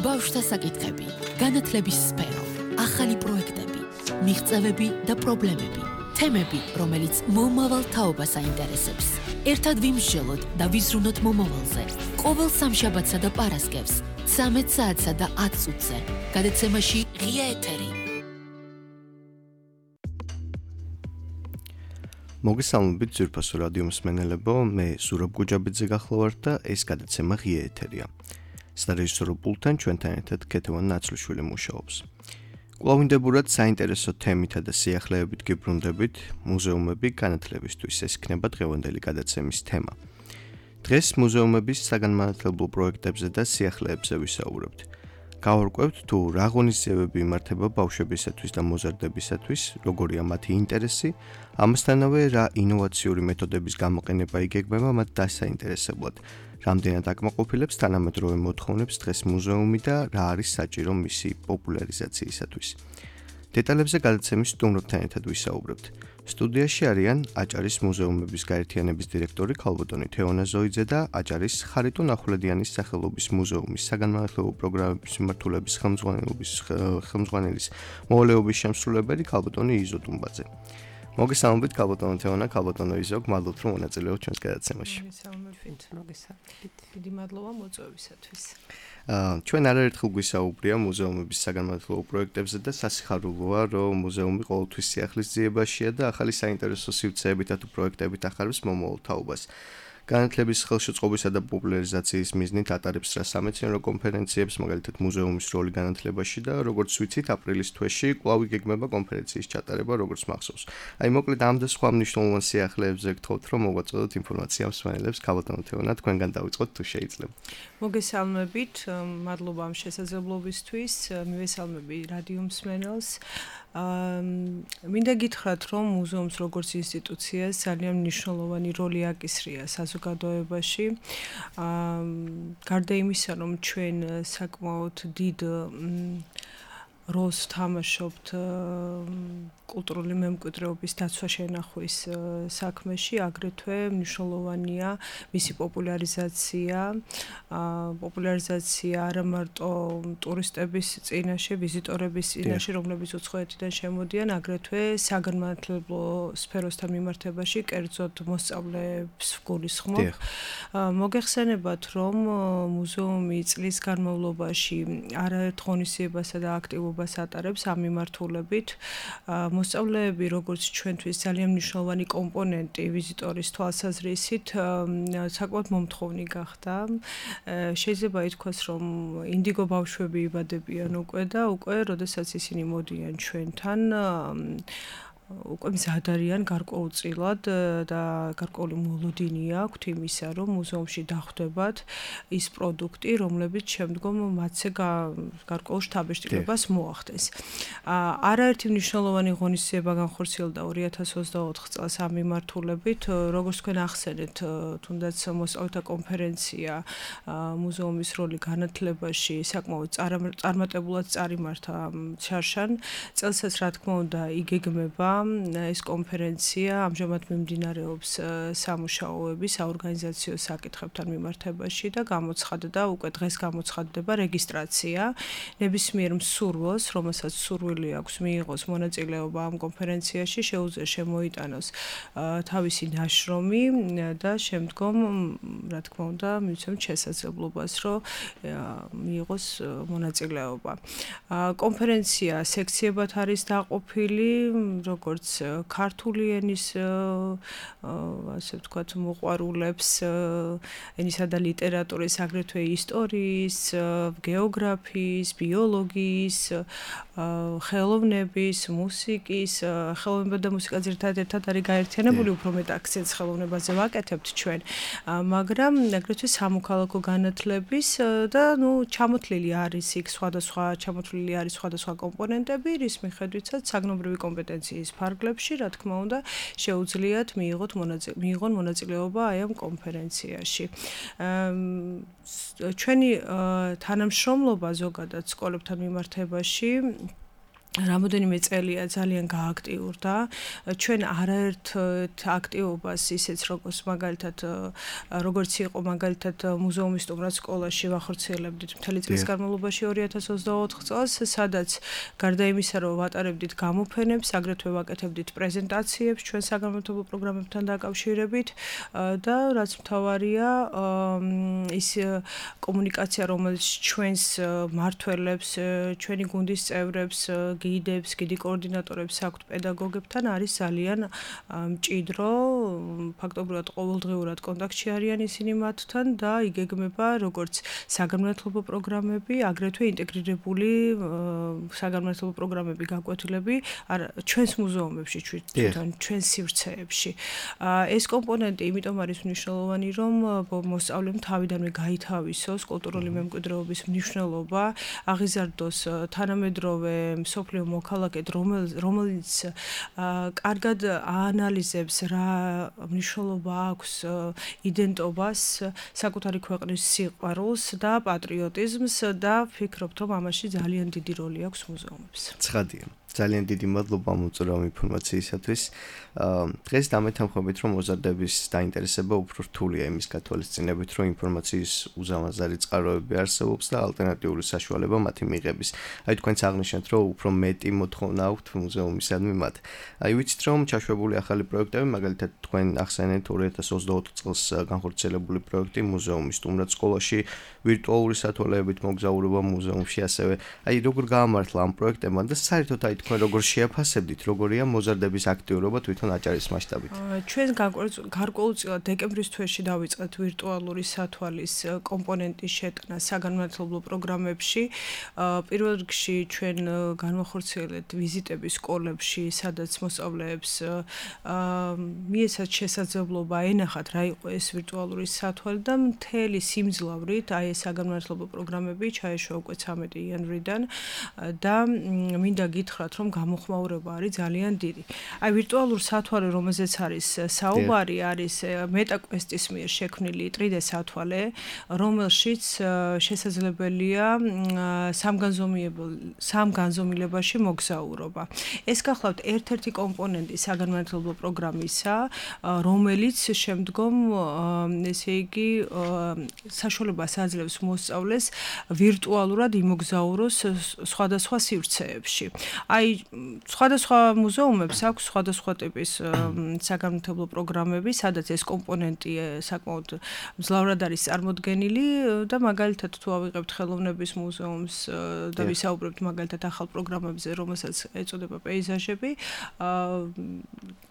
ბავშვთა საკითხები, განათლების სფერო, ახალი პროექტები, მიღწევები და პრობლემები, თემები, რომელიც მომავალ თაობას აინტერესებს. ერთად ვიმსჯელოთ და ვიზრუნოთ მომავალზე. ყოველ სამშაბათსა და პარასკევს, 13 საათსა და 10 წუთზე. გადაცემაში ღია ეთერი. მოგესალმებით ძვირფასო რადიო მსმენელებო, მე ზურაბ გუჯაბიძე გახლავართ და ეს გადაცემა ღია ეთერია. სარეჟისორო პულტთან ჩვენთან ერთად ქეთევან ნაცლიშვილი მუშაობს. კვლავინდებურად საინტერესო თემითა და სიახლეებით გიბრუნდებით, მუზეუმები განათლებისთვის ეს იქნება დღევანდელი გადაცემის თემა. დღეს მუზეუმების საგანმანათლებლო პროექტებზე და სიახლეებზე ვისაუბრებთ. გავარკვევთ თუ რა ღონისძიებები იმართება ბავშვებისათვის და მოზარდებისათვის, როგორია მათი ინტერესი, ამასთანავე რა ინოვაციური მეთოდების გამოყენება იგეგმება მათ დასაინტერესებლად, რამდენად აკმაყოფილებს თანამედროვე მოთხოვნებს დღეს მუზეუმი და რა არის საჭირო მისი პოპულარიზაციისათვის. დეტალებზე გადაცემის სტუმრებთან ერთად ვისაუბრებთ. სტუდიაში არიან აჭარის მუზეუმების გაერთიანების დირექტორი ქალბატონი თეონა ზოიძე და აჭარის ხარიტონ ახვლედიანის სახელობის მუზეუმის საგანმანათლებლო პროგრამების მიმართულების ხელმძღვანელის მოვალეობის შემსრულებელი ქალბატონი იზო დუმბაძე. მოგესალმებით ქალბატონო თეონა, ქალბატონო იზო, გმადლობთ რომ მონაწილეობთ ჩვენს გადაცემაში. მოგესალმებით. დიდი მადლობა მოწვევისათვის. ჩვენ არაერთხელ გვისაუბრია მუზეუმების საგანმანათლებლო პროექტებზე და სასიხარულოა, რომ მუზეუმი ყოველთვის სიახლის ძიებაშია და ახალი საინტერესო სივრცეებით თუ პროექტებით ახარებს მომავალ თაობას. განათლების ხელშეწყობისა და პოპულარიზაციის მიზნით ატარებს რა სამეცნიერო კონფერენციებს, მაგალითად მუზეუმის როლი განათლებაში და როგორც ვიცით, აპრილის თვეში კვლავ იგეგმება კონფერენციის ჩატარება, როგორც მახსოვს. აი, მოკლედ ამ და სხვა მნიშვნელოვან სიახლეებზე გთხოვთ, რომ მოვაწოდოთ ინფორმაცია მსმენელებს, ქალბატონო თეონა, თქვენგან დავიწყოთ თუ შეიძლება. მოგესალმებით, მადლობა ამ შესაძლებლობისთვის, მივესალმები რადიო მსმენელს. მინდა გითხრათ, რომ მუზეუმს როგორც ინსტიტუციას ძალიან მნიშვნელოვანი როლი აკისრია საზოგადოებაში. გარდა იმისა, რომ ჩვენ საკმაოდ დიდ როლს თამაშობთ კულტურული მემკვიდრეობის დაცვა-შენახვის საქმეში, აგრეთვე მნიშვნელოვანია მისი პოპულარიზაცია არა მარტო ტურისტების წინაშე, ვიზიტორების წინაშე, რომლებიც უცხოეთიდან შემოდიან, აგრეთვე საგანმანათლებლო სფეროსთან მიმართებაში, კერძოდ მოსწავლეებს გულისხმობ. მოგეხსენებათ, რომ მუზეუმი წლის განმავლობაში არაერთ ღონისძიებასა და აქტივობას ატარებს ამ მიმართულებით. მოსწავლეები, როგორც ჩვენთვის ძალიან მნიშვნელოვანი კომპონენტი ვიზიტორის თვალსაზრისით, საკმაოდ მომთხოვნი გახდა. შეიძლება ითქვას, რომ ინდიგო ბავშვები იბადებიან უკვე და უკვე, როდესაც ისინი მოდიან ჩვენთან, უკვე მზად არიან გარკვეულწილად და გარკვეული მოლოდინი აქვთ იმისა, რომ მუზეუმში დახვდებათ ის პროდუქტი, რომლებიც შემდგომ მათზე გარკვეულ შთაბეჭდილებას მოახდენს. არაერთი მნიშვნელოვანი ღონისძიება განხორციელდა 2024 წელს ამ მიმართულებით, როგორც თქვენ ახსენეთ, თუნდაც მოსწავლეთა კონფერენცია მუზეუმის როლი განათლებაში საკმაოდ წარმატებულად წარიმართა შარშან წელსაც, რა თქმა უნდა, იგეგმება ეს კონფერენცია ამჟამად მიმდინარეობს სამუშაოები საორგანიზაციო საკითხებთან მიმართებაში და გამოცხადდა, უკვე დღეს გამოცხადდება რეგისტრაცია ნებისმიერ მსურველს, რომელსაც სურვილი აქვს მიიღოს მონაწილეობა ამ კონფერენციაში, შეუძლია შემოიტანოს თავისი ნაშრომი და შემდგომ, რა თქმა უნდა, მივცემთ შესაძლებლობას, რომ მიიღოს მონაწილეობა. კონფერენცია სექციებად არის დაყოფილი, როგორც ქართული ენის ასე ვთქვათ მოყვარულებს, ენისა და ლიტერატურის, აგრეთვე ისტორიის, გეოგრაფიის, ბიოლოგიის, ხელოვნების, მუსიკის, ხელოვნება და მუსიკა ძირითადად ერთად არის გაერთიანებული, უფრო მეტ აქცენტს ხელოვნებაზე ვაკეთებთ ჩვენ, მაგრამ აგრეთვე სამოქალაქო განათლების და ჩამოთვლილი არის იქ სხვადასხვა კომპონენტები, რის მიხედვითაც საგნობრივი კომპეტენციის ფარგლებში, რა თქმა უნდა, შეუძლიათ მიიღონ მონაწილეობა აი ამ კონფერენციაში. ჩვენი თანამშრომლობა ზოგადად სკოლებთან მიმართებაში რამოდენიმე წელია ძალიან გააქტიურდა. ჩვენ არაერთ აქტივობას ისეც როგორც იყო მაგალითად მუზეუმის სტუმრად სკოლაში ვახორციელებდით მთელი წლის განმავლობაში 2024 წელს, სადაც გარდა იმისა, რომ ვატარებდით გამოფენებს, აგრეთვე ვაკეთებდით პრეზენტაციებს ჩვენ საგანმანათლებლო პროგრამებთან დაკავშირებით და რაც მთავარია, ის კომუნიკაცია, რომელიც ჩვენს მმართველებს, ჩვენი გუნდის წევრებს გიდებს, გიდი კოორდინატორებს აქვთ პედაგოგებთან არის ძალიან მჭიდრო, ფაქტობრივად ყოველდღიურად კონტაქტში არიან ისინი მათთან და იგეგმება როგორც საგანმანათლებლო პროგრამები, აგრეთვე ინტეგრირებული საგანმანათლებლო პროგრამები გაკვეთილები ჩვენს მუზეუმებში, ჩვენს სივრცეებში. ეს კომპონენტი იმიტომ არის მნიშვნელოვანი, რომ მოსწავლემ თავიდანვე გაითავისოს კულტურული მემკვიდრეობის მნიშვნელობა, აღიზარდოს თანამედროვე სოფლიო მოქალაქედ, რომელიც კარგად აანალიზებს რა მნიშვნელობა აქვს იდენტობას, საკუთარი ქვეყნის სიყვარულს და პატრიოტიზმს და ვფიქრობთ, რომ ამაში ძალიან დიდი როლი აქვს მუზეუმებს. ცხადია. ძალიან დიდი მადლობა მოწვეულ ინფორმაციისათვის. დღეს დამეთანხმებით, რომ მოზარდების დაინტერესება უფრო რთულია იმის გათვალისწინებით, რომ ინფორმაციის უზამაზარი წყაროები არსებობს და ალტერნატიული საშუალება მათი მიღების. აი თქვენც აღნიშნეთ, რომ უფრო მეტი მოთხოვნა აქვთ მუზეუმისადმი მათ. აი ვიცით, რომ ჩაშვებული ახალი პროექტები, მაგალითად თქვენ ახსენეთ 2024 წელს განხორციელებული პროექტი მუზეუმის სტუმრად სკოლაში, ვირტუალური სათვალეებით მოგზაურობა მუზეუმში, ასევე აი როგორ გაამართლა ამ პროექტებმა და საერთოდ აი თქვენ როგორ შეაფასებდით, როგორია მოზარდების აქტიურობა თვითონ აჭარის მასშტაბით? ჩვენ გარკვეულწილად დეკემბრის თვეში დავიწყეთ ვირტუალური სათვალის კომპონენტის შეტანა საგანმანათლებლო პროგრამებში. პირველ რიგში ჩვენ განვახორციელებთ ვიზიტები სკოლებში, სადაც მოსწავლეებს მიეცათ შესაძლებლობა ენახათ რა იყო ეს ვირტუალური სათვალი და მთელი სიმძლავრით აი ეს საგანმანათლებლო პროგრამები ჩაეშვა უკვე 13 იანვრიდან და მინდა გითხრათ, რომ გამოხმაურება არის ძალიან დიდი. აი ვირტუალურ სათვალე, რომელზეც არის საუბარი, არის მეტაკვესტის მიერ შექმნილი 3D სათვალე, რომელშიც შესაძლებელია სამგანზომილებაში მოგზაურობა. ეს გახლავთ ერთ-ერთი კომპონენტი საგანმანათლებლო პროგრამისა, რომელიც შემდგომ ესე იგი საშუალებას აძლევს მოსწავლეს ვირტუალურად იმოგზაუროს სხვადასხვა სივრცეებში. აი სხვადასხვა მუზეუმებს აქვს სხვადასხვა ტიპის საგანმანათლებლო პროგრამები, სადაც ეს კომპონენტი საკმაოდ მძლავრად არის წარმოდგენილი და მაგალითად თუ ავიღებთ ხელოვნების მუზეუმს და ვისაუბრებთ მაგალითად ახალ პროგრამებზე, რომელსაც ეწოდება პეიზაჟები,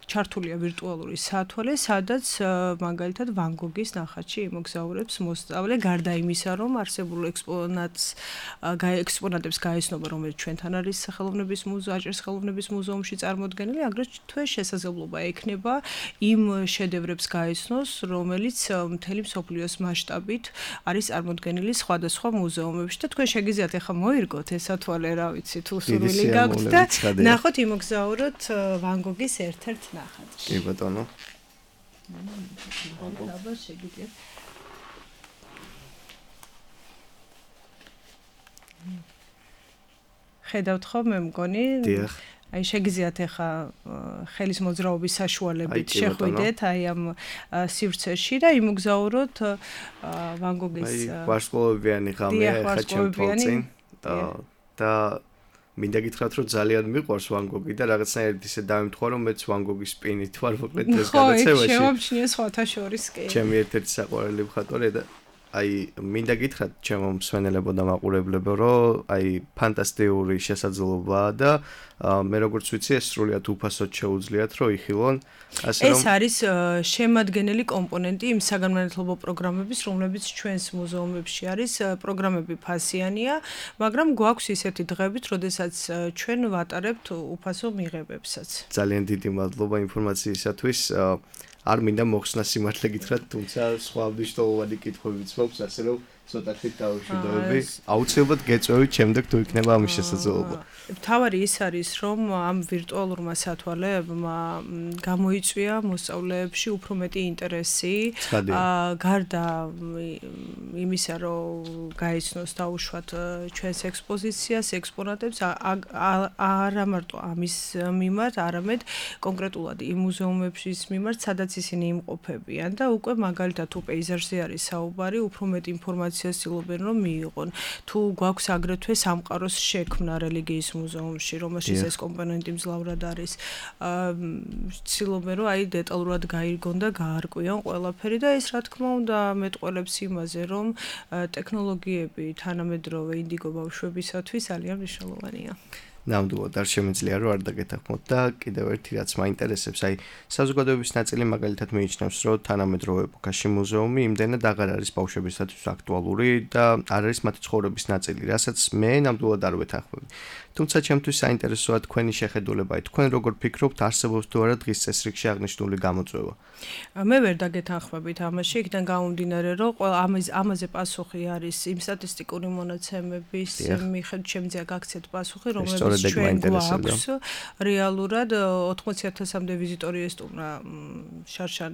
ჩართულია ვირტუალური სათვალე, სადაც მაგალითად ვან გოგის ნახატში იმოგზაურებს მოსწავლე, გარდა იმისა, რომ არსებულ ექსპონატებს გაეცნობა, რომელიც ჩვენთან არის აჭარის ხელოვნების მუზეუმში წარმოდგენილი, აგრეთვე შესაძლებლობა ექნება იმ შედევრებს გაეცნოს, რომელიც მთელი მსოფლიოს მასშტაბით არის წარმოდგენილი სხვადასხვა მუზეუმებში და თქვენ შეგიძლიათ ახლა მოირგოთ ეს სათვალე, რა ვიცი, თუ სურვილი გაქვთ და ნახოთ იმოგზაუროთ ვან გოგის ერთ-ერთ ნახატში. კი ბატონო. აბა შეგიძლიათ. ხედავთ ხო მე მგონი? დიახ. აი შეგიძლიათ ახლა ხელის მოძრაობის საშუალებით შეხვიდეთ აი ამ სივრცეში და იმოგზაუროთ ვან გოგის ვარსკვლავებიანი ღამე ახლა ჩემთვის და მინდა გითხრათ, რომ ძალიან მიყვარს ვან გოგი და რაღაცნაირად ისე დავიმთხვა, რომ მეც ვან გოგის სპინით ვარ მოკლედ ეს გადაცემაში. ხო, შემოჩნია სხვათა შორის კი. ჩემი ერთ-ერთი საყვარელი მხატვარი და აი მინდა გითხრათ ჩემო მსმენელებო და მაყურებლებო, რომ აი ფანტასტიკური შესაძლებლობაა და მე როგორც ვიცი, ეს სრულიად უფასოდ შეუძლიათ, რომ იხილონ, ასე რომ ეს არის შემადგენელი კომპონენტი იმ საგანმანათლებლო პროგრამების, რომლებიც ჩვენს მუზეუმებში არის. პროგრამები ფასიანია, მაგრამ გვაქვს ისეთი დღეებით, როდესაც ჩვენ ვატარებთ უფასო მიღებებსაც. ძალიან დიდი მადლობა ინფორმაციისათვის. არ მინდა მოხსნა სიმართლე გითხრათ, თუმცა სხვა მნიშვნელოვანი კითხვებიც მაქვს, ასე რომ ცოტათი დაუშვიდობები. აუცილებლად გეწვევით შემდეგ თუ იქნება ამის შესაძლებლობა. თავარი ის არის, რომ ამ ვირტუალურმა სათვალეებმა გამოიწვია მოსწავლეებში უფრო მეტი ინტერესი, გარდა იმისა, რომ გაიცნოს დაუშვათ ჩვენს ექსპოზიციას, ექსპონატებს, არა მარტო ამის მიმართ, არამედ კონკრეტულად იმ მუზეუმების მიმართ, სადაც ისინი იმყოფებიან და უკვე მაგალითად თუ პეიზაჟზე არის საუბარი, უფრო მეტ ინფორმაციას ცდილობენ რომ მიიღონ. თუ გვაქვს აგრეთვე სამყაროს შექმნა რელიგიის მუზეუმში, რომელშიც ეს კომპონენტი მძლავრად არის, ცდილობენ რომ აი დეტალურად გაიგონ და გაარკვიონ ყველაფერი და ეს რა თქმა უნდა მეტყველებს იმაზე, რომ ტექნოლოგიები თანამედროვე ინდიგო ბავშვებისათვის ძალიან მნიშვნელოვანია. ნამდვილად არ შემიძლია რომ არ დაგეთანხმოთ და კიდევ ერთი რაც მაინტერესებს, აი საზოგადოების ნაწილი მაგალითად მიიჩნევს, რომ თანამედროვე ეპოქაში მუზეუმი იმდენად აღარ არის ბავშვებისათვის აქტუალური და არ არის მათი ცხოვრების ნაწილი, რასაც მე ნამდვილად არ ვეთანხმები. თუმცა ჩემთვის საინტერესოა თქვენი შეხედულება, თქვენ როგორ ფიქრობთ, არსებობს თუ არა დღის წესრიგში აღნიშნული გამოწვევა? მე ვერ დაგეთანხმებით ამაში, იქიდან გამომდინარე, რომ ამაზე პასუხი არის იმ სტატისტიკური მონაცემების მიხედვით შემიძლია გაქცეთ პასუხი, რომლებიც ჩვენ გვაქვს რეალურად 80,000-მდე ვიზიტორი ესტუმრა შარშან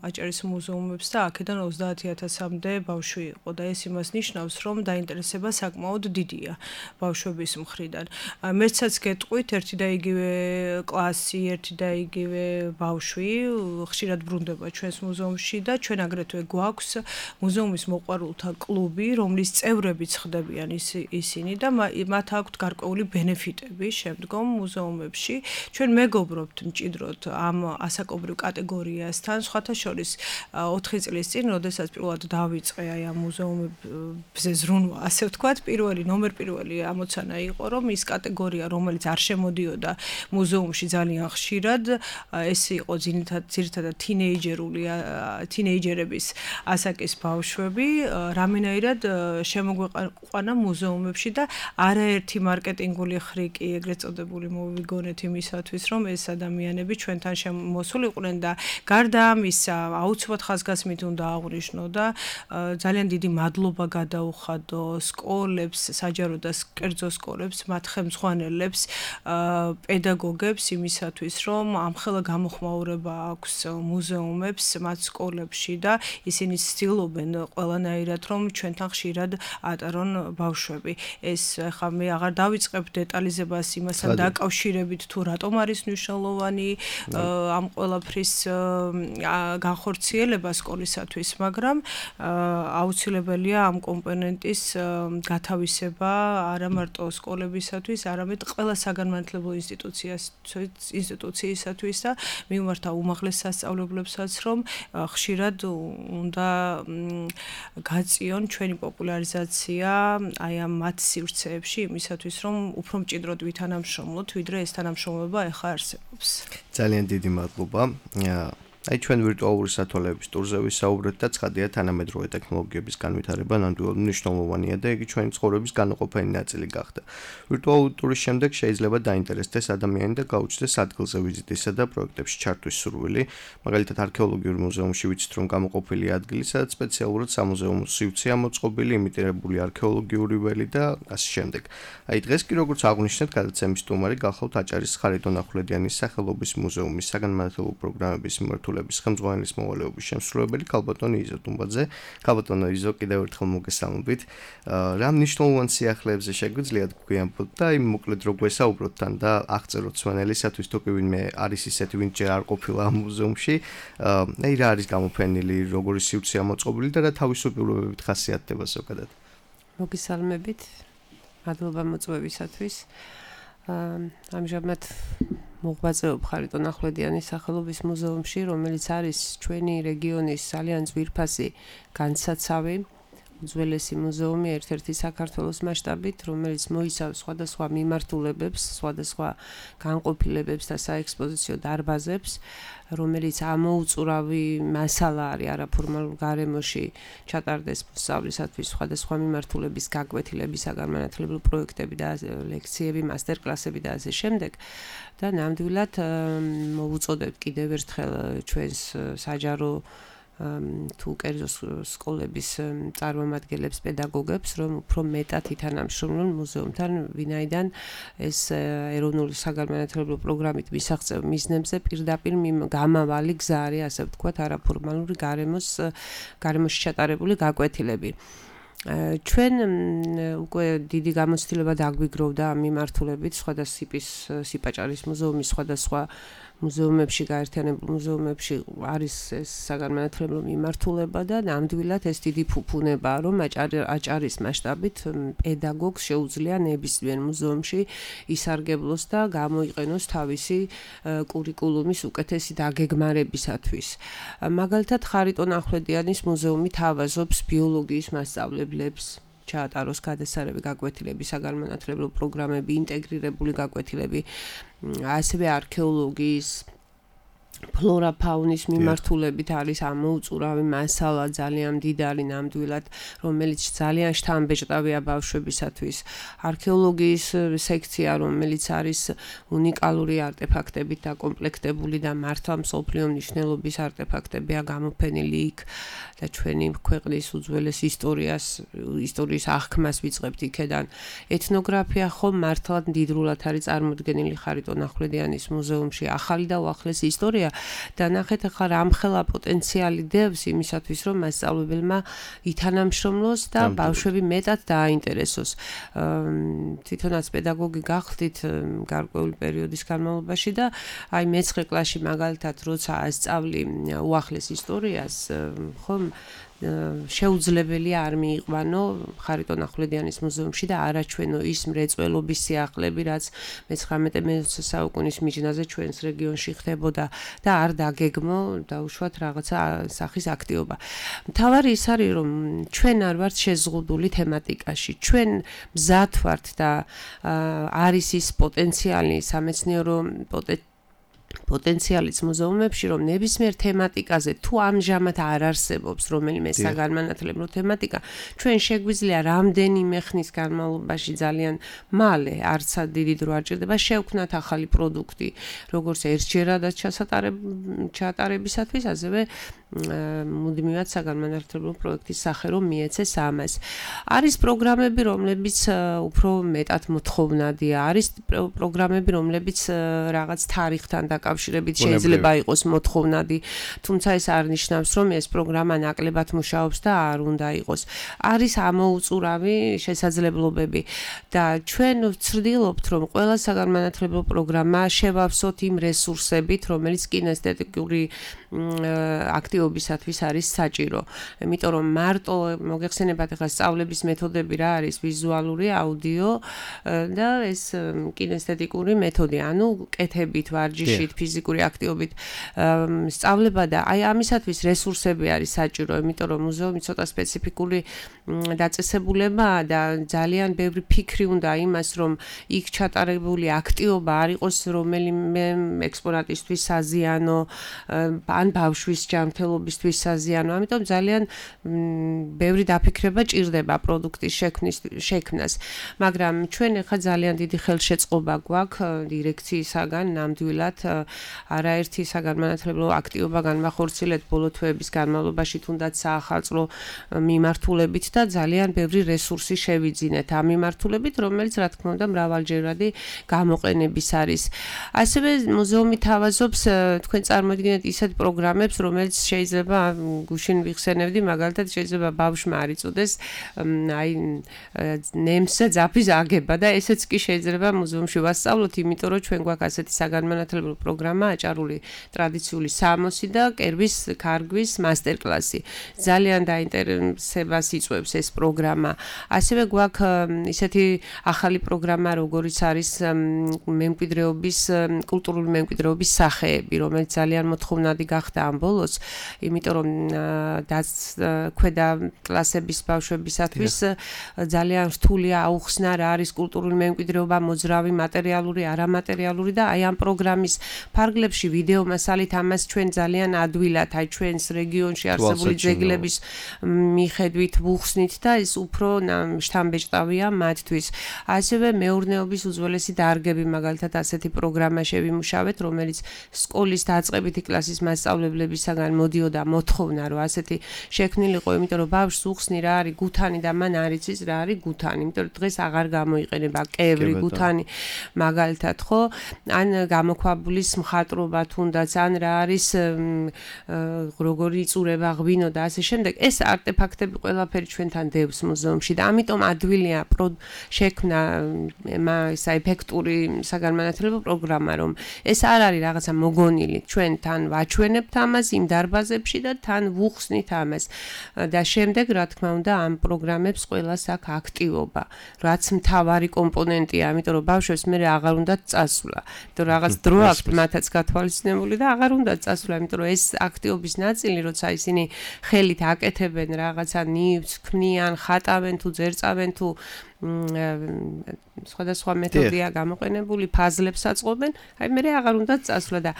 აჭარის მუზეუმებს და აქედან 30,000-მდე ბავშვი იყო და ეს იმას ნიშნავს, რომ დაინტერესება საკმაოდ დიდია ბავშვების მხრიდან. მერცაც გეტყვით, ერთი და იგივე კლასი, ერთი და იგივე ბავშვი ხშირად ბრუნდება ჩვენს მუზეუმში და ჩვენ აგრეთვე გვაქვს მუზეუმის მოყვარულთა კლუბი, რომლის წევრებიც ხდებიან ისინი და მათ აქვთ გარკვეული ბენეფიტები შემდგომ მუზეუმებში. ჩვენ მეგობრობთ მჭიდროდ ამ ასაკობრივ კატეგორიასთან, სხვათა შორის 4 წლის წინ, როდესაც პირველად დავიწყე აი ამ მუზეუმებზე ზრუნვა, ასე ვთქვათ, ნომერ პირველი ამოცანა იყო, რომ ის კატეგორია, რომელიც არ შემოდიოდა მუზეუმში ძალიან ხშირად, ეს იყო ძირითადად თინეიჯერების ასაკის ბავშვები, რამენაირად შემოგვეყვანა მუზეუმებში და არაერთი მარკეტინგული ხრიკი, ეგრეთ წოდებული მოვიგონეთ იმისათვის, რომ ეს ადამიანები ჩვენთან შემოსულიყვნენ და გარდა ამისა, აუცილებლად ხაზგასმით უნდა აღვნიშნო და ძალიან დიდი მადლობა გადაუხადო სკოლებს, საჯარო და კერძო სკოლებს, მათ ხელმძღვანელებს, პედაგოგებს იმისათვის, რომ ამხელა გამოხმაურება აქვს მუზეუმებს მათ სკოლებში და ისინი ცდილობენ ყველანაირად, რომ ჩვენთან ხშირად ატარონ ბავშვები. ეს ხა მე აღარ დავიწყებ დეტალიზებას იმასთან დაკავშირებით, თუ რატომ არის მნიშვნელოვანი ამ ყველაფრის განხორციელება სკოლისათვის, მაგრამ აუცილებელია ამ კომპონენტის გათავისება არა მარტო სკოლებისათვის, არამედ ყველა საგანმანათლებლო ინსტიტუციისათვის და მიმართა უმაღლეს სასწავლებლებსაც, რომ ხშირად უნდა გაწიონ ჩვენი პოპულარიზაცია აი ამ მათ სივრცეებში იმისათვის, რომ უფრო მჭიდროდ ვითანამშრომლოთ, ვიდრე ეს თანამშრომლობა ახლა არსებობს. ძალიან დიდი მადლობა. აი ჩვენ ვირტუალური სათვალეების ტურზე ვისაუბრეთ და ცხადია თანამედროვე ტექნოლოგიების განვითარება ნამდვილად მნიშვნელოვანია და იგი ჩვენი ცხოვრების განუყოფელი ნაწილი გახდა. ვირტუალური ტურის შემდეგ შეიძლება დაინტერესდეს ადამიანი და გაუჩნდეს ადგილზე ვიზიტისა და პროექტებში ჩართვის სურვილი. მაგალითად არქეოლოგიურ მუზეუმში ვიცით, რომ გამოყოფილი ადგილი, სადაც სპეციალურად სამუზეუმო სივრცეა მოწყობილი, იმიტირებული არქეოლოგიური ველი და ასე შემდეგ. აი დღეს კი როგორც აღვნიშნეთ, გადაცემის სტუმარი გახლავთ აჭარის ხარიტონ ახვლედიანის სახელობის მუზეუმის საგანმანათლებლო პროგრამების მიმართულების ხელმძღვანელის მოვალეობის შემსრულებელი ქალბატონი იზო ტუმბაძე. ქალბატონო იზო, კიდევ ერთხელ მოგესალმებით. რა მნიშვნელოვან სიახლეებზე შეგვიძლია გვიანბოთ და აი მოკლედ რო გვესაუბროთ თან და აღწეროთ სვენელისათვის, თუ კი ვინმე არის ისეთი, ვინც ჯერ არ ყოფილა ამ მუზეუმში, აი რა არის გამოფენილი, როგორი სივრცეა მოწყობილი და რა თავისუფლებებით ხასიათდება ზოგადად. მოგესალმებით. მადლობა მოწვევისათვის. ამჟამად მოღვაწეობ ხარიტონ ახვლედიანის სახელობის მუზეუმში, რომელიც არის ჩვენი რეგიონის ძალიან ძვირფასი განსაცავი, უძველესი მუზეუმი, ერთ-ერთი საქართველოს მასშტაბით, რომელიც მოიცავს სხვადასხვა მიმართულებებს, სხვადასხვა განყოფილებებს და საექსპოზიციო დარბაზებს, რომელიც ამოუწურავი მასალა არის არაფორმალურ გარემოში ჩატარდეს სწავლისათვის სხვადასხვა მიმართულების გაკვეთილები, საგანმანათლებლო პროექტები და ლექციები, მასტერკლასები და ასე შემდეგ. და ნამდვილად მოვუწოდებთ კიდევ ერთხელ ჩვენს საჯარო თუ კერძო სკოლების წარმომადგენლებს, პედაგოგებს, რომ უფრო მეტად ითანამშრომლონ მუზეუმთან, ვინაიდან ეს ეროვნული საგანმანათლებლო პროგრამით მისაღწევ მიზნებზე პირდაპირ გამავალი გზა არის, ასე ვთქვათ, არაფორმალური გარემოში ჩატარებული გაკვეთილები. ჩვენ უკვე დიდი გამოცდილება დაგვიგროვდა ამ მიმართულებით, სხვადასხვა სიპაჭარის მუზეუმის სხვადასხვა მუზეუმებში, გაერთიანებულ მუზეუმებში არის ეს საგანმანათლებლო მიმართულება და ნამდვილად ეს დიდი ფუფუნებაა, რომ აჭარის მასშტაბით პედაგოგს შეუძლია ნებისმიერ მუზეუმში ისარგებლოს და გამოიყენოს თავისი კურიკულუმის უკეთესი დაგეგმარებისათვის. მაგალითად, ხარიტონ ახვლედიანის მუზეუმი თავაზობს ბიოლოგიის მასწავლებლებს, ჩაატაროს გადასარევი გაკვეთილები, საგანმანათლებლო პროგრამები, ინტეგრირებული გაკვეთილები, ასევე არქეოლოგიის, ფლორა ფაუნის მიმართულებით არის ამოუწურავი მასალა, ძალიან მდიდარი ნამდვილად, რომელიც ძალიან შთამბეჭდავია ბავშვებისათვის. არქეოლოგიის სექცია, რომელიც არის უნიკალური არტეფაქტებით დაკომპლექტებული და მართლა მსოფლიო მნიშვნელობის არტეფაქტებია გამოფენილი იქ და ჩვენი ქვეყნის უძველეს ისტორიის აღქმას ვიწყებთ იქედან. ეთნოგრაფია ხომ მართლა მდიდრულად არის წარმოდგენილი ხარიტონ ახვლედიანის მუზეუმში, ახალი და უახლესი ისტორია და ნახეთ ახლა რამხელა პოტენციალი დევს იმისათვის, რომ მასწავლებელმა ითანამშრომლოს და ბავშვები მეტად დააინტერესოს. თვითონაც პედაგოგი გახდით გარკვეული პერიოდის განმავლობაში და აი მე-9 კლასში მაგალითად როცა ასწავლი უახლეს ისტორიას, ხომ შეუძლებელია არ მიიყვანო ხარიტონ ახვლედიანის მუზეუმში და არაჩვენო ის მრეწველობის სიახლეები, რაც მე-19 საუკუნის მიჯნაზე ჩვენს რეგიონში ხდებოდა და არ დაგეგმო დაუშვათ რაღაცა სახის აქტივობა. მთავარი ის არის, რომ ჩვენ არ ვართ შეზღუდული თემატიკაში. ჩვენ მზად ვართ და არის ის პოტენციალი, სამეცნიერო პოტენციალიც მუზეუმებში, რომ ნებისმიერ თემატიკაზე თუ ამჟამად არ არსებობს რომელიმე საგანმანათლებლო თემატიკა, ჩვენ შეგვიძლია რამდენიმე ხნის განმავლობაში ძალიან მალე, არცად დიდი დრო არ ჭირდება, შევქმნათ ახალი პროდუქტი, როგორც ერთჯერადაც ჩატარებისათვის, ასევე მუდმივად საგანმანათლებლო პროექტის სახე რომ მიეცეს ამას. არის პროგრამები, რომლებიც უფრო მეტად მოთხოვნადია, არის პროგრამები, რომლებიც რაღაც თარიღთან დაკავშირებით შეიძლება იყოს მოთხოვნადი, თუმცა ეს არ ნიშნავს, რომ ეს პროგრამა ნაკლებად მუშაობს და არ უნდა იყოს. არის ამოუწურავი შესაძლებლობები და ჩვენ ვცდილობთ, რომ ყველა საგანმანათლებლო პროგრამა შევავსოთ იმ რესურსებით, რომელიც კინესთეტიკური აქტივობისათვის არის საჭირო. იმიტომ რომ მარტო მოგეხსენებათ ახლა სწავლების მეთოდები რა არის, ვიზუალური, აუდიო და ეს კინესთეტიკური მეთოდი, ანუ კეთებით, ვარჯიშით, ფიზიკური აქტივობით სწავლება და აი ამისათვის რესურსები არის საჭირო, იმიტომ რომ მუზეუმი ცოტა სპეციფიკური დაწესებულებაა და ძალიან ბევრი ფიქრი უნდა იმას, რომ იქ ჩატარებული აქტივობა არ იყოს რომელიმე ექსპონატისთვის საზიანო, ან ბავშვის ჯანმრთელობისთვის საზიანო. ამიტომ ძალიან ბევრი დაფიქრება ჭირდება პროდუქტის შექმნას. მაგრამ ჩვენ ახლა ძალიან დიდი ხელშეწყობა გვაქვს დირექციისაგან ნამდვილად არაერთი საგანმანათლებლო აქტივობა განმახორციელეთ ბოლო თვეების განმავლობაში, თუნდაც საახალწლო მიმართულებით და ძალიან ბევრი რესურსი შევიძინეთ ამ მიმართულებით, რომელიც რა თქმა უნდა მრავალჯერადი გამოყენების არის. ასევე მუზეუმი თავაზობს, თქვენ წარმოიდგინეთ ისეთ პროგრამებს, რომელიც შეიძლება გუშინ ვიხსენებდი, მაგალითად შეიძლება ბავშვმა არ იწოდეს აი ნემსა ძაფის აგება და ესეც კი შეიძლება მუზეუმში ვასწავლოთ, იმიტომ რომ ჩვენ გვაქვს ასეთი საგანმანათლებლო პროგრამა, აჭარული ტრადიციული სამოსი და კერვის ქარგვის მასტერკლასი. ძალიან დაინტერესებას იწვევს ეს პროგრამა. ასევე გვაქვს ისეთი ახალი პროგრამა, როგორიც არის მემკვიდრეობის, კულტურული მემკვიდრეობის სახეები, რომელიც ძალიან მოთხოვნადი გახდა ამ ბოლოს, იმიტომ რომ ქვედა კლასების ბავშვებისათვის ძალიან რთულია აუხსნა რა არის კულტურული მემკვიდრეობა, მოძრავი, მატერიალური, არამატერიალური და აი ამ პროგრამის ფარგლებში ვიდეო მასალით ამას ჩვენ ძალიან ადვილად, აი ჩვენს რეგიონში არსებული ძეგლების მიხედვით ვუხსნით და ეს უფრო შთამბეჭდავია მათთვის. ასევე მეურნეობის უძველესი დარგები, მაგალითად ასეთი პროგრამა შევიმუშავეთ, რომელიც სკოლის დაწყებითი კლასის მასწავლებლებს მასწავლებლებისაგან მოდიოდა მოთხოვნა, რომ ასეთი შექმნილიყო, იმიტომ რომ ბავშვს უხსნი რა არის გუთანი და მან არ იცის რა არის გუთანი, იმიტომ რომ დღეს აღარ გამოიყენება კევრი, გუთანი მაგალითად, ხო? ან გამოქვაბულის მხატვრობა თუნდაც, ან რა არის როგორი იწურება ღვინო და ასე შემდეგ. ეს არტეფაქტები ყველაფერი ჩვენთან დევს მუზეუმში და ამიტომ ადვილია შექმნა ესა ეფექტური საგანმანათლებლო პროგრამა, რომ ეს არ არის რაღაცა მოგონილი, ჩვენ თან ვაჩვენებთ ამას იმ დარბაზებში და თან ვუხსნით ამას. და შემდეგ, რა თქმა უნდა, ამ პროგრამებს ყველას აქვს აქტივობა, რაც მთავარი კომპონენტია, ამიტომ რომ ბავშვებს მე აღარ უნდა წასვლა. იმიტომ რაღაც დრო აქვს მათაც გათვალისწინებული და აღარ უნდა წასვლა, იმიტომ რომ ეს აქტივობის ნაწილი, როცა ისინი ხელით აკეთებენ რაღაცა ნივთს, ქმნიან, ხატავენ თუ ძერწავენ თუ სხვადასხვა მეთოდია გამოყენებული, ფაზლებს აწყობენ, აი მე აღარ უნდა წასვლა და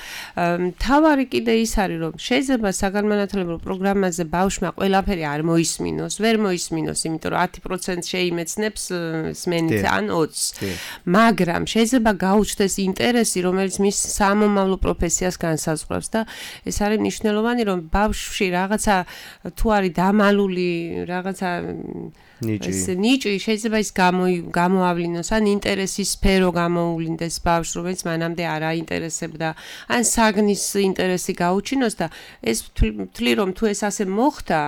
თავარი კიდე ის არის, რომ შეიძლება საგანმანათლებლო პროგრამაზე ბავშვმა ყველაფერი არ მოისმინოს, ვერ მოისმინოს, იმიტომ რომ 10% შეიმეცნებს სმენით ან 20%. მაგრამ შეიძლება გაუჩნდეს ინტერესი, რომელიც მის სამომავლო პროფესიას განსაზღვრავს და ეს არის მნიშვნელოვანი, რომ ბავშვში რაღაცა თუ არის დამალული, რაღაცა ნიჭი შეიძლება ის გამოავლინოს, ან ინტერესის სფერო გამოუვლინდეს ბავშვს, რომელიც მანამდე არ აინტერესებდა, ან საგნის ინტერესი გაუჩინოს და ეს ვთვლი, რომ თუ ეს ასე მოხდა,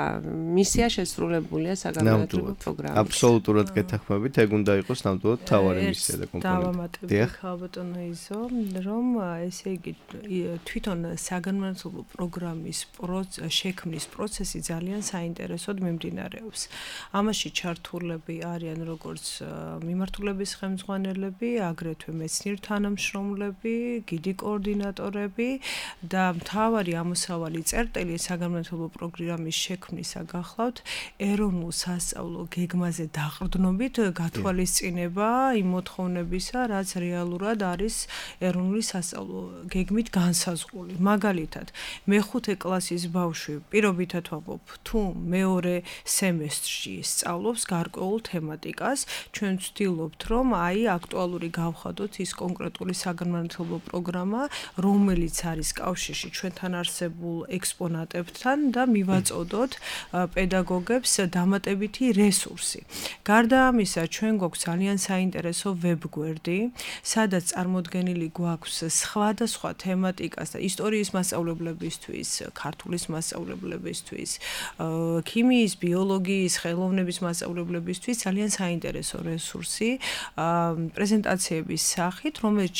მისია შესრულებულია საგანმანათლებლო პროგრამაში. აბსოლუტურად გეთანხმებით, ეგ უნდა იყოს ნამდვილად თავარი მისია და კომპონენტი. დავამატებდი ხალბატონო იზო, რომ ესე იგი თვითონ საგანმანათლებლო პროგრამის შექმნის პროცესი ძალიან საინტერესოდ მიმდინარეობს. ამაში ჩართულები არიან როგორც მიმართულების ხელმძღვანელები, აგრეთვე მეცნიერ თანამშრომლები, გიდი კოორდინატორები და მთავარი ამოსავალი წერტილი საგანმანათლებლო პროგრამის შექმნისა გახლავთ ეროვნულ სასწავლო გეგმაზე დაყრდნობით გათვალისწინება იმ მოთხოვნებისა, რაც რეალურად არის ეროვნული სასწავლო გეგმით განსაზღვრული. მაგალითად, მეხუთე კლასის ბავშვი პირობითად ვამბობ, თუ მეორე სემესტრში სწავლობს გარკვეულ თემატიკას, ჩვენ ვცდილობთ, რომ აი აქტუალური გავხადოთ ის კონკრეტული საგანმანათლებლო პროგრამა, რომელიც არის კავშირში ჩვენთან არსებულ ექსპონატებთან და მივაწოდოთ პედაგოგებს დამატებითი რესურსი. გარდა ამისა, ჩვენ გვაქვს ძალიან საინტერესო ვებგვერდი, სადაც წარმოდგენილი გვაქვს სხვადასხვა თემატიკას და ისტორიის მასწავლებლებისთვის, ქართულის მასწავლებლებისთვის, ქიმიის, ბიოლოგიის, ხელოვნების მასწავლებლებისთვის ძალიან საინტერესო რესურსი პრეზენტაციების სახით, რომელიც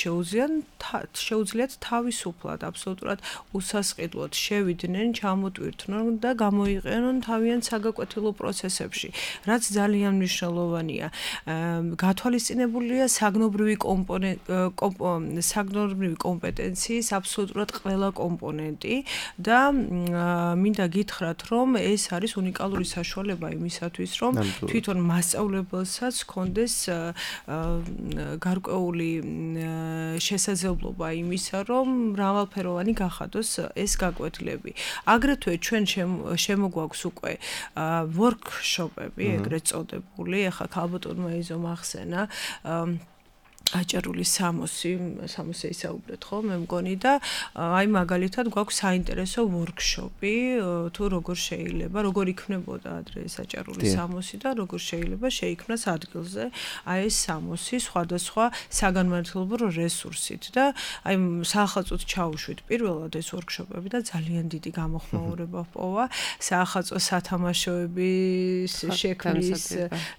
შეუძლიათ თავისუფლად, აბსოლუტურად უსასყიდლოდ შევიდნენ, ჩამოტვირთნონ და გამოიყენონ თავიანთ საგაკვეთილო პროცესებში, რაც ძალიან მნიშვნელოვანია. გათვალისწინებულია საგნობრივი კომპეტენციის აბსოლუტურად ყველა კომპონენტი და მინდა გითხრათ, რომ ეს არის უნიკალური საშუალება იმისათვის, რომ თვითონ მასწავლებელსაც ჰქონდეს გარკვეული შესაძლებლობა იმისა, რომ მრავალფეროვანი გახადოს ეს გაკვეთილები. აგრეთვე ჩვენ შემოგვაქვს უკვე ვორქშოპები, ეგრეთ წოდებული, ახლა ქალბატონმა იზომ ახსენა აჭარული 60 ისაუბრეთ ხო მე მგონი და აი მაგალითად გვაქვს საინტერესო ვორქშოპი თუ როგორ შეიძლება როგორ იქნებოდა ადრე ეს აჭარული 60 და როგორ შეიძლება შეიქმნას ადგილზე აი ეს 60 სხვადასხვა საგანმანათლებლო რესურსით და აი საახალწოდ ჩაუშვით პირველად ეს ვორქშოპები და ძალიან დიდი გამოხმაურება ჰპოვა საახალწო სათამაშოების შექმნის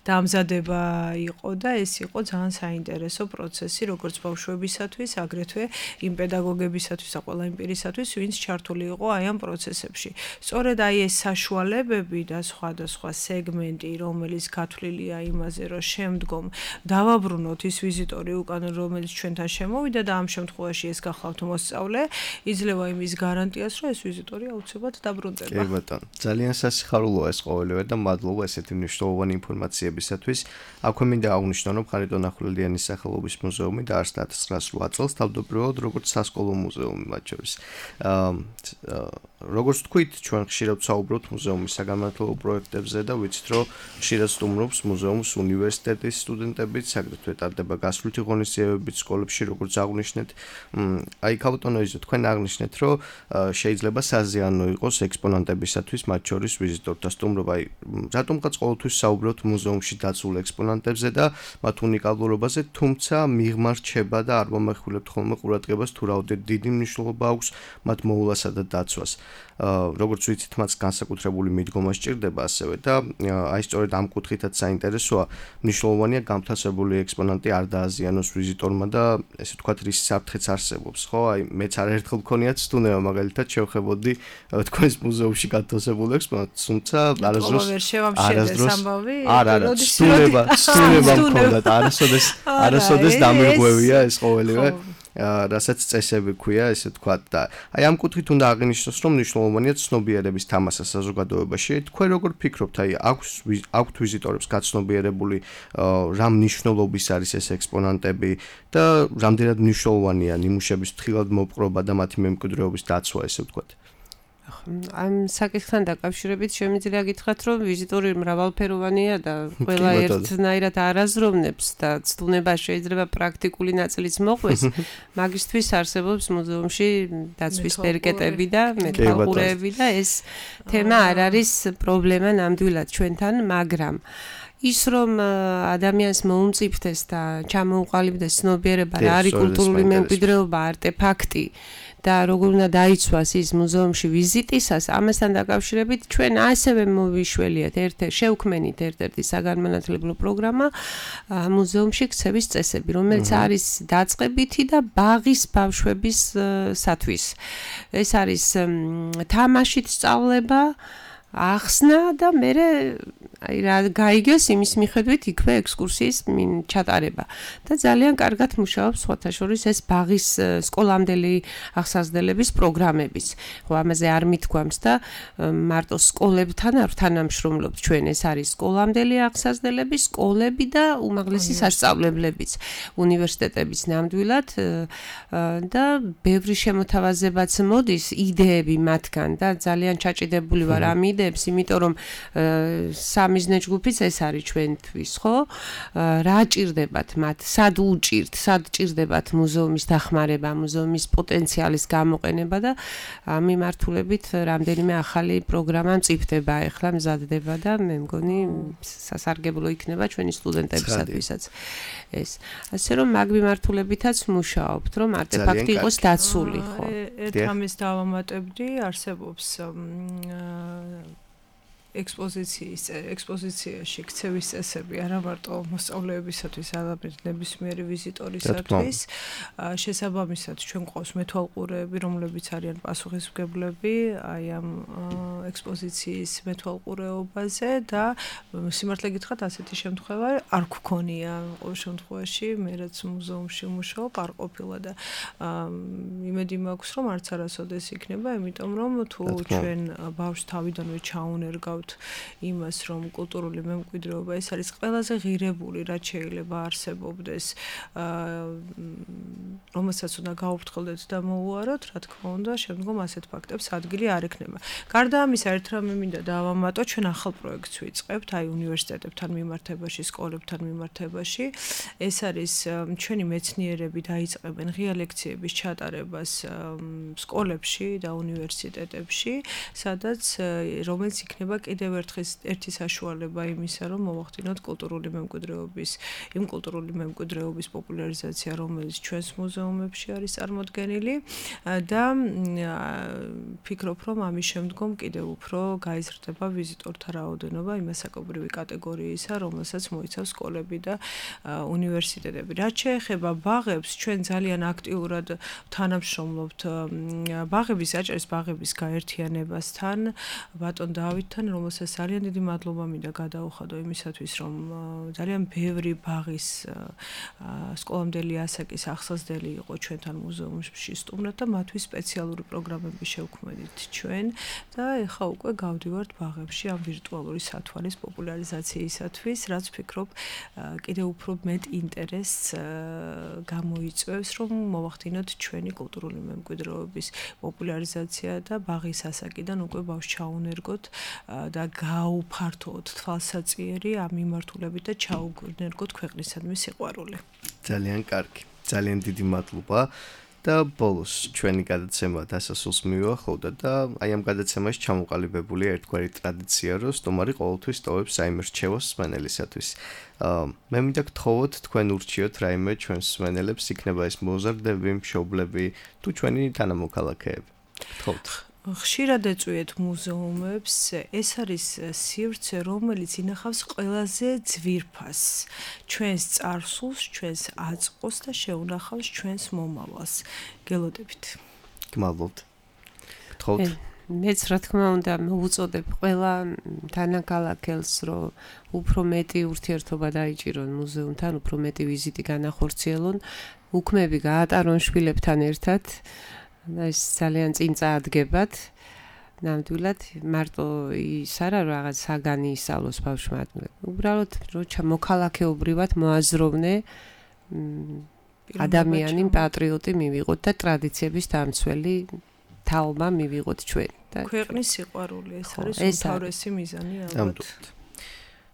დამზადება იყო და ეს იყო ძალიან საინტერესო პროცესი როგორც ბავშვებისათვის, აგრეთვე იმ პედაგოგებისათვის და ყველა იმ პირისათვის, ვინც ჩართული იყო აი ამ პროცესებში. სწორედ აი ეს საშუალებები და სხვადასხვა სეგმენტი, რომელიც გათვლილია იმაზე, რომ შემდგომ დავაბრუნოთ ის ვიზიტორი უკან, რომელიც ჩვენთან შემოვიდა და ამ შემთხვევაში ეს გახლავთ მოსწავლე, იძლევა იმის გარანტიას, რომ ეს ვიზიტორი აუცილებლად დაბრუნდება. კი ბატონო, ძალიან სასიხარულოა ეს ყოველივე და მადლობა ესეთი მნიშვნელოვანი ინფორმაციებისათვის. აქვე მინდა აღნიშნო, რომ ხარიტონ ახვლედიანის სახელობის მუზეუმი დაარსდა 1908 წელს თავდაპირველად როგორც სასკოლო მუზეუმი მათ შორის. როგორც თქვით, ჩვენ ხშირად ვსაუბრობთ მუზეუმის საგანმანათლებლო პროექტებზე და ვიცით, რომ ხშირად სტუმრობს მუზეუმს უნივერსიტეტის სტუდენტებიც, აგრეთვე ტარდება გასვლითი ღონისძიებებიც სკოლებში, როგორც აღვნიშნეთ. აი, ქალბატონო იზო, თქვენ აღნიშნეთ, რომ შეიძლება საზიანო იყოს ექსპონანტებისათვის, მათ შორის ვიზიტორთა სტუმრობა. აი, რატომღაც ყოველთვის საუბრობთ მუზეუმში დაცულ ექსპონანტებზე და მათ უნიკალურობაზე, თუმცა მიღმა რჩება და არ მომეხვილებთ ხოლმე ყურადღებას თუ რაოდენად დიდი მნიშვნელობა აქვს მათ მოვლასა და დაცვას. როგორც ვიცით, მას განსაკუთრებული მიდგომა სჭირდება ასევე და აი სწორედ ამ კუთხითაც საინტერესოა, მნიშვნელოვანია გამთავსებული ექსპონანტი არ დააზიანოს ვიზიტორმა და ესე ვთქვათ, რის საფრთხეც არსებობს, ხო? აი მეც არაერთხელ მქონია ცდუნება, მაგალითად შევხედი თქვენს მუზეუმში განთავსებულ ექსპონატს, თუმცა არასდროს ცდუნება მქონდათ, არასოდეს დამირღვევია ეს ყოველივე. რასაც წესები ქვია, ესე ვთქვათ და აი ამ კუთხით უნდა აღინიშნოს, რომ მნიშვნელოვანია ცნობიერების თამასა საზოგადოებაში. თქვენ როგორ ფიქრობთ, აი აქვთ ვიზიტორებს გაცნობიერებული რა მნიშვნელობის არის ეს ექსპონანტები და რამდენად მნიშვნელოვანია ნიმუშების ფრთხილად მოპყრობა და მათი მემკვიდრეობის დაცვა, ესე ვთქვათ. ამ საკითხთან დაკავშირებით შემიძლია გითხრათ, რომ ვიზიტორი მრავალფეროვანია და ყველა ერთნაირად არაზროვნებს და ცდუნება შეიძლება პრაქტიკული ნაწილიც მოყვეს. მაგისთვის არსებობს მუზეუმში დაცვის პერკეტები და მეტალყურეები და ეს თემა არ არის პრობლემა ნამდვილად ჩვენთან, მაგრამ ის რომ ადამიანს მოუმწიფდეს და ჩამოუყალიბდეს ცნობიერება რა არის კულტურული მემკვიდრეობა, არტეფაქტი და როგორ უნდა დაიცვას ის მუზეუმში ვიზიტისას, ამასთან დაკავშირებით ჩვენ ასევე მოვიშველიათ შევქმენით ერთ-ერთი საგანმანათლებლო პროგრამა მუზეუმში ქცევის წესები, რომელიც არის დაწყებითი და ბაღის ბავშვებისათვის. ეს არის თამაშით სწავლება, ახსნა და მერე აი რა გაიგეს იმის მიხედვით იქვე ექსკურსიის ჩატარება და ძალიან კარგად მუშაობს სხვათა შორის ეს ბაღის სკოლამდელი აღსაზრდელების პროგრამებიც. ხო, ამაზე არ მithქვამს და მარტო სკოლებთან არ თანამშრომლობთ ჩვენ, ეს არის სკოლამდელი აღსაზრდელები, სკოლები და უმაღლესი სასწავლებლებიც, უნივერსიტეტებიც ნამდვილად და ბევრი შემოთავაზებაც მოდის იდეები მათგან და ძალიან ჩაჭიდებული ვარ ამ იდეებს, იმიტომ რომ სამიზნე ჯგუფიც ეს არის ჩვენთვის, ხო? რა ჭირდებათ მათ? სად ჭირდებათ მუზეუმის დახმარება, მუზეუმის პოტენციალის გამოყენება და ამ მიმართულებით რამდენიმე ახალი პროგრამა მწიფდება, ეხლა მზადდება და მე მგონი სასარგებლო იქნება ჩვენი სტუდენტებისათვისაც. ეს. ასე რომ მაგ მიმართულებითაც მუშაობთ, რომ არტეფაქტი იყოს დაცული, ხო? ერთ ამის დავამატებდი, არსებობს ექსპოზიციაში ქცევის წესები არა მარტო მოსწავლეებისათვის, არამედ ნებისმიერი ვიზიტორისათვის. შესაბამისად, ჩვენ გვყავს მეთვალყურეები, რომლებიც არიან პასუხისმგებლები აი ამ ექსპოზიციის მეთვალყურეობაზე და სიმართლე გითხრათ, ასეთი შემთხვევა არ გვქონია ყოველ შემთხვევაში, მე რაც მუზეუმში მუშაობ, არ ყოფილა და იმედი მაქვს, რომ არც არასოდეს იქნება, იმიტომ რომ თუ ჩვენ ბავშვს თავიდანვე ჩაუნერგავთ იმას, რომ კულტურული მემკვიდრეობა ეს არის ყველაზე ღირებული, რაც შეიძლება არსებობდეს, რომელსაც უნდა გაუფრთხილდეთ და მოუაროთ, რა თქმა უნდა, შემდგომ ასეთ ფაქტებს ადგილი არ ექნება. გარდა ამისა, ერთ რამე მინდა დავამატო, ჩვენ ახალ პროექტს ვიწყებთ, აი უნივერსიტეტებთან მიმართებაში, სკოლებთან მიმართებაში. ეს არის ჩვენი მეცნიერები დაიწყებენ ღია ლექციების ჩატარებას სკოლებში და უნივერსიტეტებში, სადაც რომელიც იქნება კიდევ ერთი საშუალება იმისა, რომ მოვახდინოთ კულტურული მემკვიდრეობის პოპულარიზაცია, რომელიც ჩვენს მუზეუმებში არის წარმოდგენილი და ფიქრობ, რომ ამის შემდგომ კიდევ უფრო გაიზრდება ვიზიტორთა რაოდენობა იმასაკობრივი კატეგორიისა, რომელსაც მოიცავს სკოლები და უნივერსიტეტები. რაც შეეხება ბაღებს, ჩვენ ძალიან აქტიურად თანამშრომლობთ ბაღების გაერთიანებასთან, ბატონ დავითთან, სამომავლოსაც ძალიან დიდი მადლობა მინდა გადაუხადო იმისათვის, რომ ძალიან ბევრი ბაღის სკოლამდელი ასაკის ახსასდელი იყო ჩვენთან მუზეუმში სტუმრად და მათთვის სპეციალური პროგრამები შევქმნით ჩვენ და ეხლა უკვე გავდივართ ბაღებში ამ ვირტუალური სათვალის პოპულარიზაციისათვის, რაც ვფიქრობ კიდევ უფრო მეტ ინტერესს გამოიწვევს, რომ მოვახდინოთ ჩვენი კულტურული მემკვიდრეობის პოპულარიზაცია და ბაღის ასაკიდან უკვე ბავშვს ჩაუნერგოთ და გაუფართოთ თვალსაწიერი ამ მიმართულებით და ჩაუგნერგოთ ქვეყნისადმი სიყვარული. ძალიან კარგი. ძალიან დიდი მადლობა. და ბოლოს ჩვენი გადაცემა დასასრულს მივუახლოვდა და აი ამ გადაცემაში ჩამოყალიბებულია ერთგვარი ტრადიცია, რომ სტუმარი ყოველთვის ტოვებს რაიმე რჩევას მსმენელისათვის. მე მინდა გთხოვოთ თქვენ ურჩიოთ რაიმე ჩვენს მსმენელებს, იქნება ეს მოზარდები, მშობლები თუ ჩვენი თანამოქალაქეები. გთხოვთ. ხშირად ეწვიეთ მუზეუმებს, ეს არის სივრცე, რომელიც ინახავს ყველაზე ძვირფასს, ჩვენს წარსულს, ჩვენს აწყოს და შეუნახავს ჩვენს მომავალს. გელოდებით. გმადლობთ. გთხოვთ. მეც რა თქმა უნდა მოუწოდებ ყველა თანაკალაკელს, რომ უფრო მეტი ურთიერთობა დაიჭირონ მუზეუმთან, უფრო მეტი ვიზიტი განახორციელონ, უქმები გაატარონ შვილებთან ერთად. ეს ძალიან წინ წაადგებათ. ნამდვილად მარტო ის არა რაღაც საგანი ისწავლოს ბავშვმა. უბრალოდ რომ მოქალაქეობრივად მოაზროვნე ადამიანი, პატრიოტი მივიღოთ და ტრადიციების დამცველი თაობა მივიღოთ ჩვენ. ქვეყნის სიყვარული ეს არის უმთავრესი მიზანი ალბათ.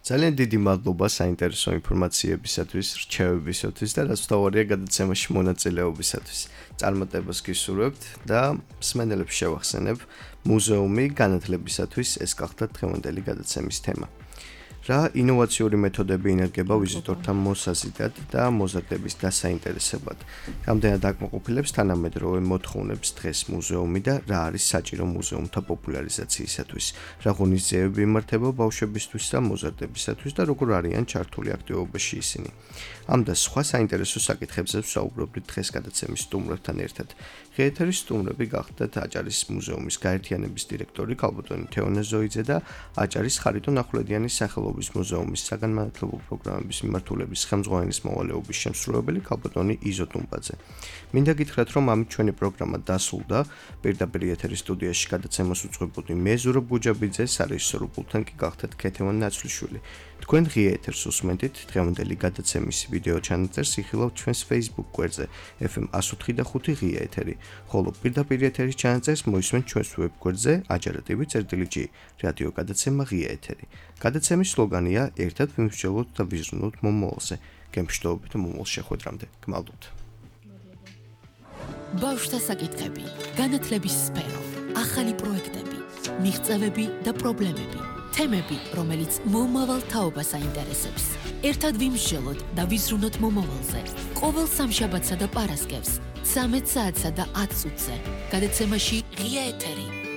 ძალიან დიდი მადლობა საინტერესო ინფორმაციებისათვის, რჩევებისათვის და რაც თავარია გადაცემაში მონაწილეობისათვის. წარმატებას გისურვებთ და მსმენელებს შევახსენებ, მუზეუმი განათლებისათვის ეს გახდა დღევანდელი გადაცემის თემა. რა ინოვაციური მეთოდები ინერგება ვიზიტორთა მოსაზიდად და მოზარდების დასაინტერესებლად. რამდენად აკმაყოფილებს თანამედროვე მოთხოვნებს დღეს მუზეუმი და რა არის საჭირო მუზეუმთა პოპულარიზაციისათვის. რა ღონისძიებები იმართება ბავშვებისთვის და მოზარდებისათვის და როგორ არიან ჩართული აქტივობაში ისინი. ამ და სხვა საინტერესო საკითხებზე ვსაუბრობთ დღეს გადაცემის სტუმრებთან ერთად. ღიეთერის სტუმრები გახდათ აჭარის მუზეუმის გაერთიანების დირექტორი ქალბატონი თეონა ზოიძე და აჭარის ხარიტონ ახვლედიანის სახელობის მუზეუმის საგანმანათლებლო პროგრამების მიმართულების ხელმძღვანელის მოვალეობის შემსრულებელი ქალბატონი იზო ტუმბაძე. მინდა გითხრათ, რომ ამით ჩვენი პროგრამა დასრულდა. პირდაპირ ეთერის სტუდიაში გადაცემას უძღვებოდი მე ზურაბ გუჯაბიძე, სარეჟისორო პულტთან კი გახდათ ქეთევან ნაცვლიშვილი. თქვენ ღია ეთერს უსმენთ, დღევანდელი გადაცემის ვიდეო ჩანაწერს იხილავთ ჩვენს Facebook გვერდზე FM 104.5 ღია ეთერი, ხოლო პირდაპირ ეთერის ჩანაწერს მოისმენთ ჩვენს ვებ გვერდზე ajara.tv/g რადიო გადაცემა ღია ეთერი. გადაცემის სლოგანია ერთად ვიმსჯელოთ და ვიზრუნოთ მომავალზე. გემშვიდობებით მომავალ შეხვედრამდე. გმადლობთ. ბავშვთა საკითხები, განათლების სფერო, ახალი პროექტები, მიღწევები და პრობლემები. თემები, რომელიც მომავალ თაობას აინტერესებს. ერთად ვიმსჯელოთ და ვიზრუნოთ მომავალზე. ყოველ სამშაბათსა და პარასკევს 13 საათსა და 10 წუთზე. გადაცემაში ღია ეთერი.